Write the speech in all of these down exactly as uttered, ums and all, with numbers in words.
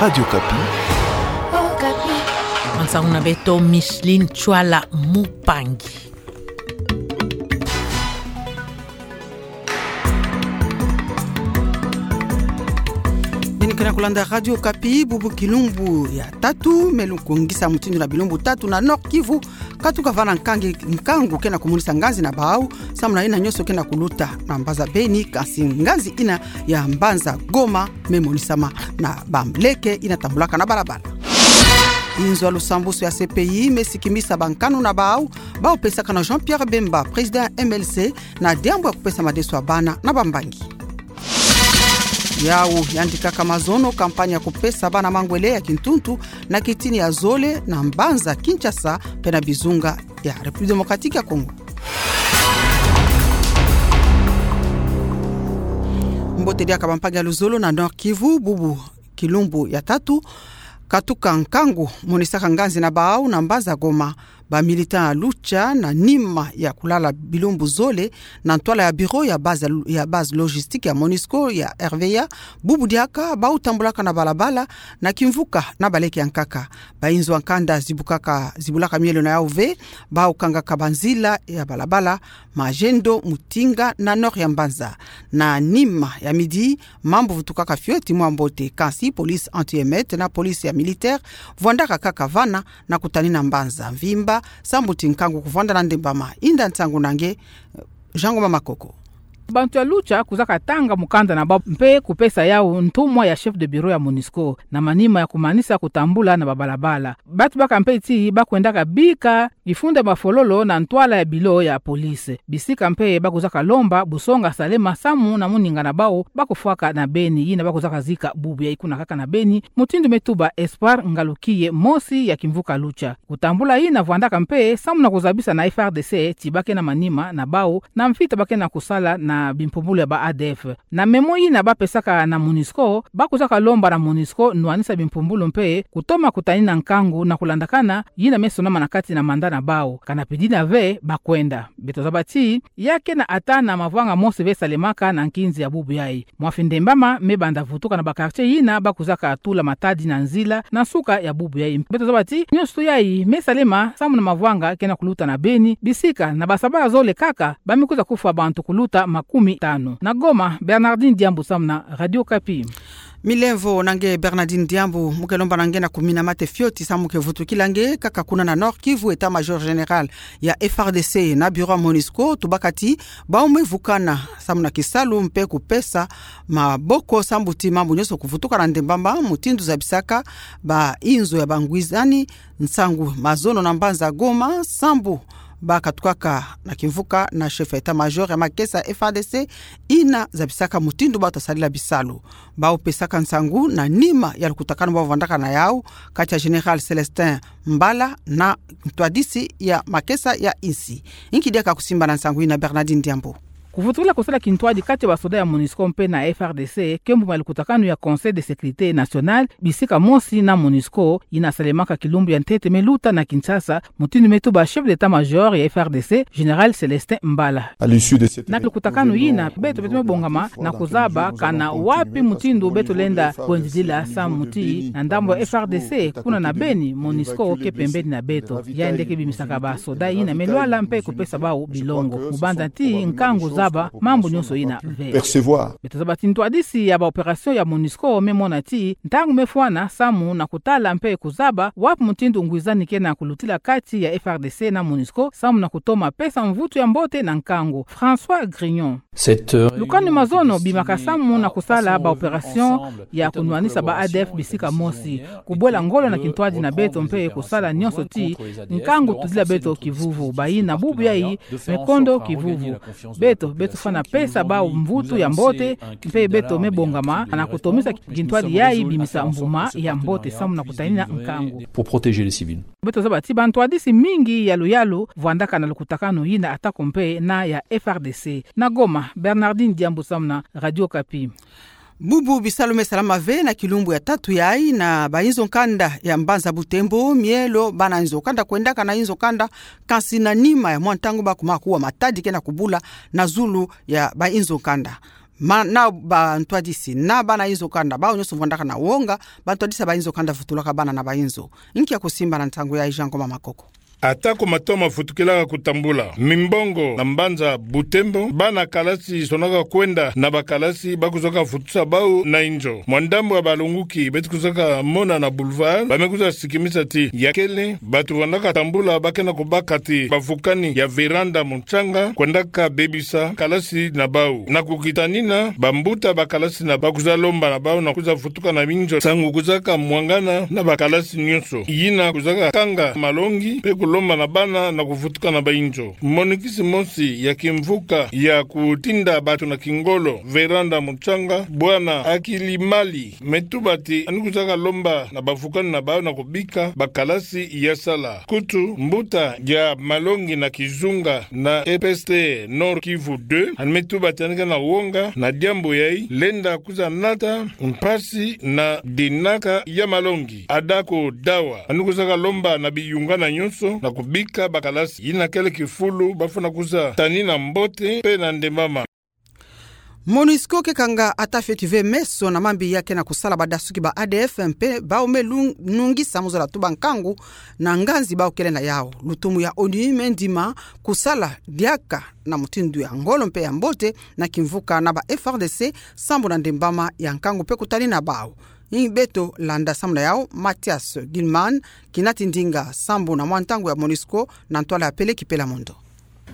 Radio Okapi. Okapi. Mansau na beto Micheline Chwala Mupangi. Bini kena kulanda Radio Okapi, bubu kilumbu ya tatu, me lukungisa mutindu na bilumbu tatu na Nord-Kivu, katuka vana nkangi, nkangu kena kumonisa nganzi na bau, samu na ina nyonso kena kuluta na mbanza Beni, kansi nganzi ina ya mbanza Goma me monisama na bamleke ina tambulaka na balabala. Inzo ya lusambusu ya C P I me sikimisa bankanu na bau, bau pesaka na Jean-Pierre Bemba, président M L C, na diambu ya kupesa madeso ya bana na bambangi. Yau yandikaka mazono campagne ya kupesa bana mangwele ya kintuntu na kitini ya zole na mbanza Kinshasa mpe na bizunga ya République Démocratique ya Congo. Mbote diaka bampangi ya luzolo na Nord-Kivu, bubu kilumbu ya tatu, katuka nkangu monisaka nganzi na bau na mbanza Goma. Ba militants ya Lucha, na nima ya kulala bilumbu zole na ntwala ya bureau ya base, ya base logistique ya MONUSCO ya R V A, bubu diaka bau tambulaka na balabala na kimvuka na baleke ya nkaka. Ba inzo ya nkanda zibukaka, zibulaka mielo na yau ve, bau kangaka banzila ya balabala, Magendo, Mutinga na nord ya mbanza. Na nima ya midi, mambu vutukaka fioti mwa mbote, kansi police anti-émeute na police ya militaire vwandaka kaka vana na kutanina mbanza mvimba, sambu ti nkangu kuvwanda na ndembama. Inda nsangu na nge, Jean Ngoma Makoko. Bantu ya Lucha kuzaka tanga mukanda na bau mpe kupesa yau ntumwa ya chef de bureau ya MONUSCO, na manima ya kumanisa kutambula na babalabala. Bantu baka mpe ti bakwendaka bika kifunda mafololo na ntwala ya bilo ya police. Bisika mpe bakuzaka lomba busonga salema samu na moninga na bau bakufwaka na Beni, yina bakuzaka zika bubu yai kuna kaka na Beni, mutindu me tuba Espoir, ngalukiye mosi ya kimvuka Lucha. Kutambula yina vwandaka mpe samu na kuzabisa na F R D C ti bakena manima na bau na mvita bakena kusala na bimpumbulu ya ba A D F. Na memo yina bapesaka na MONUSCO, bakuzaka lomba na MONUSCO nwanisa bimpumbulu mpe kutoma kutanina nkangu na kulandakana yina me sonama na kati na mandat na bau. Kana pidina ve bakwenda. Beto zaba ti ya kena ata na mavwanga mosi ve salemaka na nkinzi ya bubu yai. Mwa fi ndembama me banda vutuka na ba quartier yina bakuzaka tula matadi na nzila na nsuka ya bubu yai. Beto zaba ti nyonso yai me salema samu na mavwanga kena kuluta na Beni, bisika na basabala zole kaka ba me kwiza kufwa bantu kuluta makumi tanu. Na Goma, Bernardine Diambu samu na Radio Okapi. Milemvo na nge Bernardine Diambu, mu ke lomba na nge na kumina mate fioti samu ke vutukila nge kaka kuna na Nord-Kivu, état-major général ya F R D C na bureau ya MONUSCO tubaka ti bau me vukana samu na kisalu mpe kupesa maboko sambu ti mambu nyonso kuvutuka na ndembama, mutindu zabisaka ba inzo ya bangwizani nsangu mazono na mbanza Goma, sambu bakatukaka na kimvuka na chef état-major ya makesa F R D C, yina zabisaka mutindu bata sadila bisalu. Bau pesaka nsangu na nima ya lukutakanu bau vwandaka na yau kati ya Général Célestin Mbala na ntwadisi ya makesa ya insi. Nki diaka kusimba na nsangu yina, Bernardine Diambu? Kuvutukila kusala kintwadi kati ya basoda ya MONUSCO mpe na F R D C, ke mbuma ya lukutakanu ya Conseil de sécurité nationale, bisika mosi na MONUSCO, yina salemaka kilumbu ya ntete me luta na Kinshasa, mutindu me tuba chef d'état-major ya F R D C, Général Célestin Mbala. Na lukutakanu yina, beto, beto me bongama na kuzaba kana wapi mutindu beto lenda kwendidila samu ti na ndambu ya F R D C, kuna na Beni, MONUSCO ke pembeni na beto. Yandi ke bimisaka basoda yina me lwala mpe kupesa bau bilongo. Mu banza ti nkangu zaba mambu nyonso yina ve. Beto zaba ti ntwadisi ya ba opération ya MONUSCO me mona ti ntangu me fwana samu na kutala mpe kuzaba wapi mutindu ngwizani kena kulutila kati ya F R D C na MONUSCO samu na kutoma pesa mvutu ya mbote na nkangu. François Grignon. Lukanu mazono bimaka samu na kusala ba opération ya kunwanisa ba A D F bisika mosi, kubwela ngolo na kintwadi na beto mpe kusala nyonso ti nkangu tudila beto kivuvu. Bayi na bubu yai me kondo kivuvu. Beto, beto fwana pesa bau mvutu ya mbote, mpe beto me bongama na kutomisa kintwadi yai bimisa mbuma ya mbote samu na kutanina nkangu. Pour protéger les civils. Beto zaba ti bantwadisi mingi yalu yalu vwandaka na lukutakanu yina, atako mpe na ya F R D C. Na Goma, Bernardine Diambu samu na Radio Okapi. Bubu bisalu me salama ve na kilumbu ya tatu yai na ba inzo nkanda ya mbanza Butembo, mielo bana inzo nkanda kwendaka na inzo nkanda, kansi na nima ya mwa ntangu bakuma kuwa matadi kena kubula na zulu ya ba inzo nkanda. Ma, na bantwadisi, na bana inzo kanda, bawu nyonso vwandaka na wonga, bantwadisi ya bainzo kanda vutulaka bana na bainzo. Nkia kusimba na ntangu ya Jean Ngoma Makoko. Atako matomo mafutukilaka kutambula mimbongo na mbanza Butembo, bana kalasi sonaka kwenda na bakalasi ba kuzaka futusa bawu na inzo. Mwa ndambu ya balonguki beto kuzaka mona na boulevard, ba me kwiza sikimisa ti ya kele bato vandaka tambula ba ke na kubaka ti bavukani ya véranda mucanga kwendaka bebisa kalasi na bawu. Na kukitanina, bambuta bakalasi na ba kwiza lomba na bawu na kwiza vutuka na binzo nsangu kuzaka mwangana na bakalasi nyonso. Yina kuzaka kanga malongi mpe kulomba na bana na kuvutuka na bainzo. Monikisi mosi ya kimvuka ya kutinda bato na kingolo, véranda mucanga, bwana Akilimali, me tuba ti yandi kuzaka lomba na bavukani na bawu na kubika bakalasi ya sala. Kutu, mbuta ya malongi na kizunga na E P S T Nord-Kivu deux, yandi me tuba ti yandi ke na wonga na diambu yayi, lenda kwiza nata mpasi na dinaka ya malongi. Adako Dawa, yandi kuzaka lomba na biyungana nyonso na kubika bakalasi. Yina kele kifulu ba fwana kwiza tanina mbote mpe na ndembama. Monusco ke kanga ata fioti ve meso na mambi ya ke na kusala badasuki ba A D F mpe bawu me lung-, nungisa mu zola tuba nkangu na nganzi bawu kele na yawu. Lutumu ya ONU me ndima kusala diaka na mutindu ya ngolo mpe ya mbote na kimvuka na ba F R D C sambu na ndembama ya nkangu mpe kutanina bawu. Ni beto landa sambu na yawu, Mathias Gilman, kinati ndinga sambu na mwa ntangu ya Monusco na ntwala ya Peleki Pelamondo.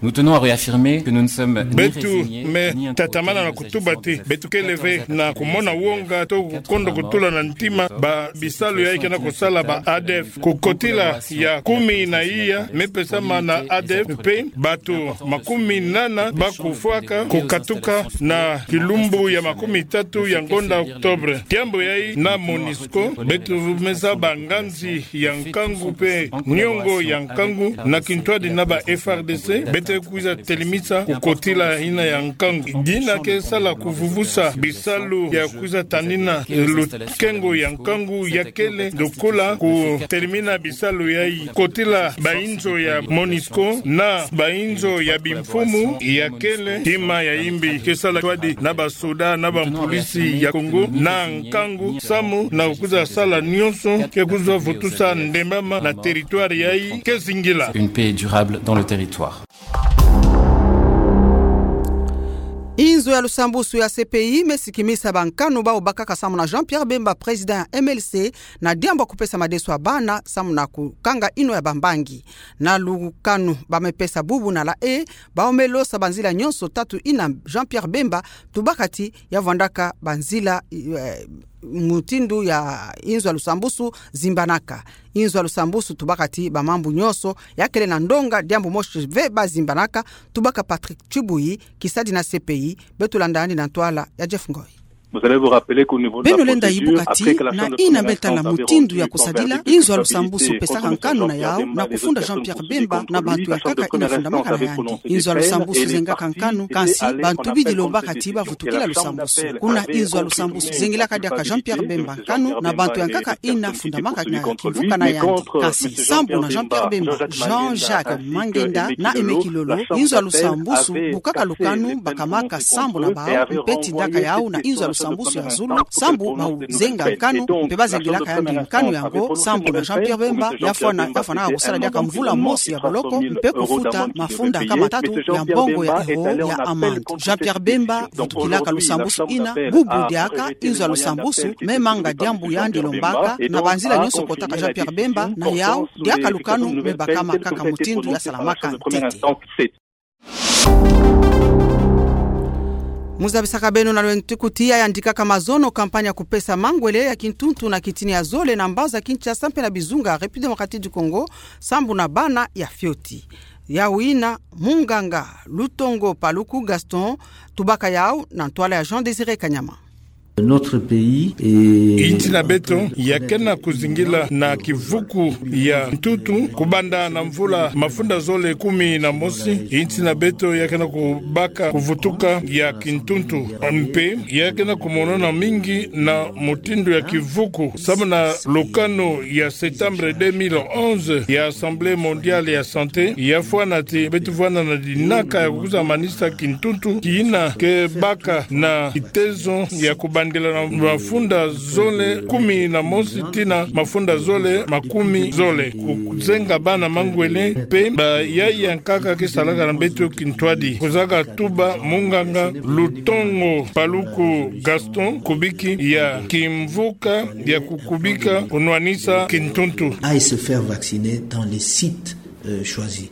Nous tenons à réaffirmer que nous ne sommes ni Beto résignés, me ni tatamana na kutuba ti beto kele ve na kumona wonga to kukondo kutula na ntima ba bisalu yayi ke na kusala ba A D F. Kukotila ya kumi na iya me pesama na A D F mpe bato makumi nana ba kufwaka kukatuka na kilumbu ya makumi tatu ya ngonda Octobre. Diambu yayi na Monusco, beto me zaba nganzi ya nkangu mpe niongo ya nkangu na kintwadi na ba F R D C, beto kwiza telimisa kukotila yina ya nkangu. Dina ke sala kuvuvusa bisalu ya kwiza tanina lukengo ya nkangu ya kele, lokola kutelimina bisalu yayi. Kotila bainzo ya Monusco na bainzo ya bimfumu ya kele kima ya imbi. Ke sala kintwadi na basoda na bampolisi ya Congo na nkangu samu na kwiza sala nyonso ke kwiza vutusa ndembama na territoire yayi ke zingila. Une paix durable dans le territoire. Inzo ya lusambusu ya C P I me sikimisa bankanu bawu bakaka samu na Jean-Pierre Bemba, président ya M L C, na diambu ya kupesa madeso ya bana samu na kukanga yinwa ya bambangi. Na lukanu ba me pesa bubu na la e, bawu me losa banzila nyonso tatu yina Jean-Pierre Bemba tubaka ti ya vwandaka banzila, eh, mutindu ya inzo ya lusambusu zimbanaka. Inzo ya lusambusu tubaka ti bamambu nyonso ya kele na ndonga, diambu mosi ve ba zimbanaka, tubaka Patrick Tshibuyi, kisadi na C P I, beto landa yandi na ntwala ya Jeff Ngoy. Beno lenda yibuka ti na yina me tala mutindu ya kusadila, inzo ya lusambusu pesaka nkanu na yawu na kufunda Jean-Pierre Bemba na bantu ya nkaka yina fundamaka na yandi. Inzo ya lusambusu zengaka nkanu, kansi bantu bidi lombaka ti ba vutukila lusambusu. Kuna inzo ya lusambusu zengilaka diaka Jean-Pierre Bemba nkanu na bantu ya nkaka yina fundamaka na kimvuka na yandi. Kansi sambu na Jean-Pierre Bemba, Jean-Jacques Mangenda na Aimé Kilolo, inzo ya lusambusu bukaka lukanu bakamaka sambu na bawu, mpe tindaka yawu na inzo ya lusambusu ya zulu, sambu bawu zenga nkanu, mpe ba zengilaka yandi nkanu yango, sambu na Jean-Pierre Bemba ya fwana, ya fwanaka kusala diaka mvula mosi ya boloko, mpe kufuta mafunda kama tatu ya mbongo ya euro ya amande. Jean-Pierre Bemba vutukilaka lusambusu yina, bubu diaka inzo ya lusambusu me manga diambu yandi lombaka, na banzila nyonso kotaka Jean-Pierre Bemba na yawu, diaka lukanu me bakama kaka mutindu ya salamaka ntete. Mu zabisaka beno na lwentu kuti ya yandikaka mazono, campagne ya kupesa mangwele ya kintuntu na kitini ya zole na mbanza Kinshasa mpe na bizunga République Démocratique du Congo, sambu na bana ya fioti. Yawu yina munganga Lutongo Paluku Gaston tubaka yawu na ntwala ya Jean Désiré Kanyama. Notre pays est... Insi na beto ya kena kuzingila na kivuku ya ntuntu. Kubanda na mvula mafunda zole kumi na mosi, insi na beto ya kena kubaka kuvutuka ya kintuntu. Mpe ya kena kumonona mingi na mutindu ya kivuku. Samu na lukanu ya septembre deux mille onze ya Assemblée mondiale ya santé, ya fwana ti beto fwana na dinaka ya kukuza manisa kintuntu, kina ke baka na kitezo ya kubandila na mafunda zole kumi na mosi tii na mafunda zole makumi zole. Kuzenga bana mangwele mpe ba yaya nkaka ke salaka na beto kintwadi. Kuzaka tuba munganga Lutongo Paluku Gaston, kubiki ya kimvuka ya kukubika kunwanisa kintuntu. Aille se faire vacciner dans les sites, euh, choisis.